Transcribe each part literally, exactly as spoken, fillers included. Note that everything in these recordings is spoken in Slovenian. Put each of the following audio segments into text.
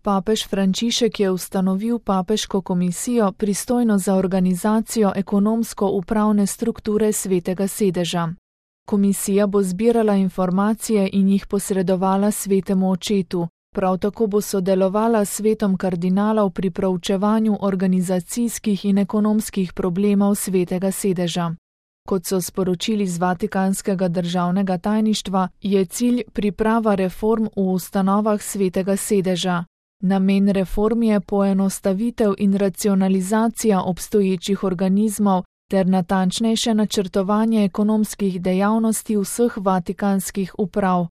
Papež Frančišek je ustanovil papeško komisijo, pristojno za organizacijo ekonomsko-upravne strukture Svetega sedeža. Komisija bo zbirala informacije in jih posredovala Svetemu očetu, prav tako bo sodelovala s svetom kardinalov pri proučevanju organizacijskih in ekonomskih problemov Svetega sedeža. Kot so sporočili z Vatikanskega državnega tajništva, je cilj priprava reform v ustanovah Svetega sedeža. Namen reform je poenostavitev in racionalizacija obstoječih organizmov ter natančnejše načrtovanje ekonomskih dejavnosti vseh vatikanskih uprav.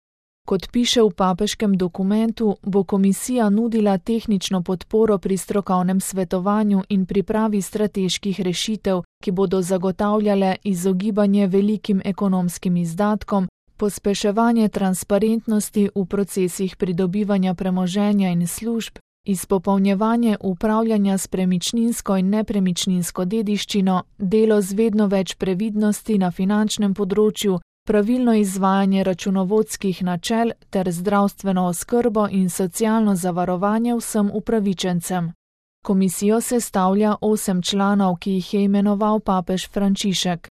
Kot piše v papeškem dokumentu, bo komisija nudila tehnično podporo pri strokovnem svetovanju in pripravi strateških rešitev, ki bodo zagotavljale izogibanje velikim ekonomskim izdatkom, pospeševanje transparentnosti v procesih pridobivanja premoženja in služb, izpopolnjevanje upravljanja s premičninsko in nepremičninsko dediščino, delo z vedno več previdnosti na finančnem področju, pravilno izvajanje računovodskih načel ter zdravstveno oskrbo in socialno zavarovanje vsem upravičencem. Komisijo sestavlja osem članov, ki jih je imenoval papež Frančišek.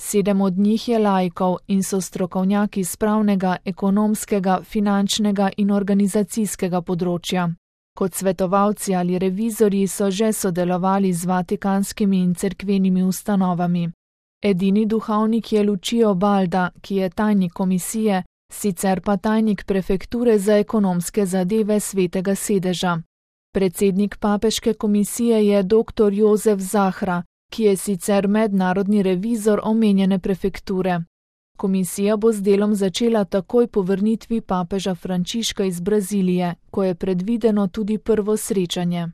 Sedem od njih je laikov in so strokovnjaki s pravnega, ekonomskega, finančnega in organizacijskega področja. Kot svetovalci ali revizorji so že sodelovali z vatikanskimi in cerkvenimi ustanovami. Edini duhovnik je Lucio Balda, ki je tajnik komisije, sicer pa tajnik prefekture za ekonomske zadeve Svetega sedeža. Predsednik papeške komisije je doktor Jozef Zahra, ki je sicer mednarodni revizor omenjene prefekture. Komisija bo z delom začela takoj po vrnitvi papeža Frančiška iz Brazilije, ko je predvideno tudi prvo srečanje.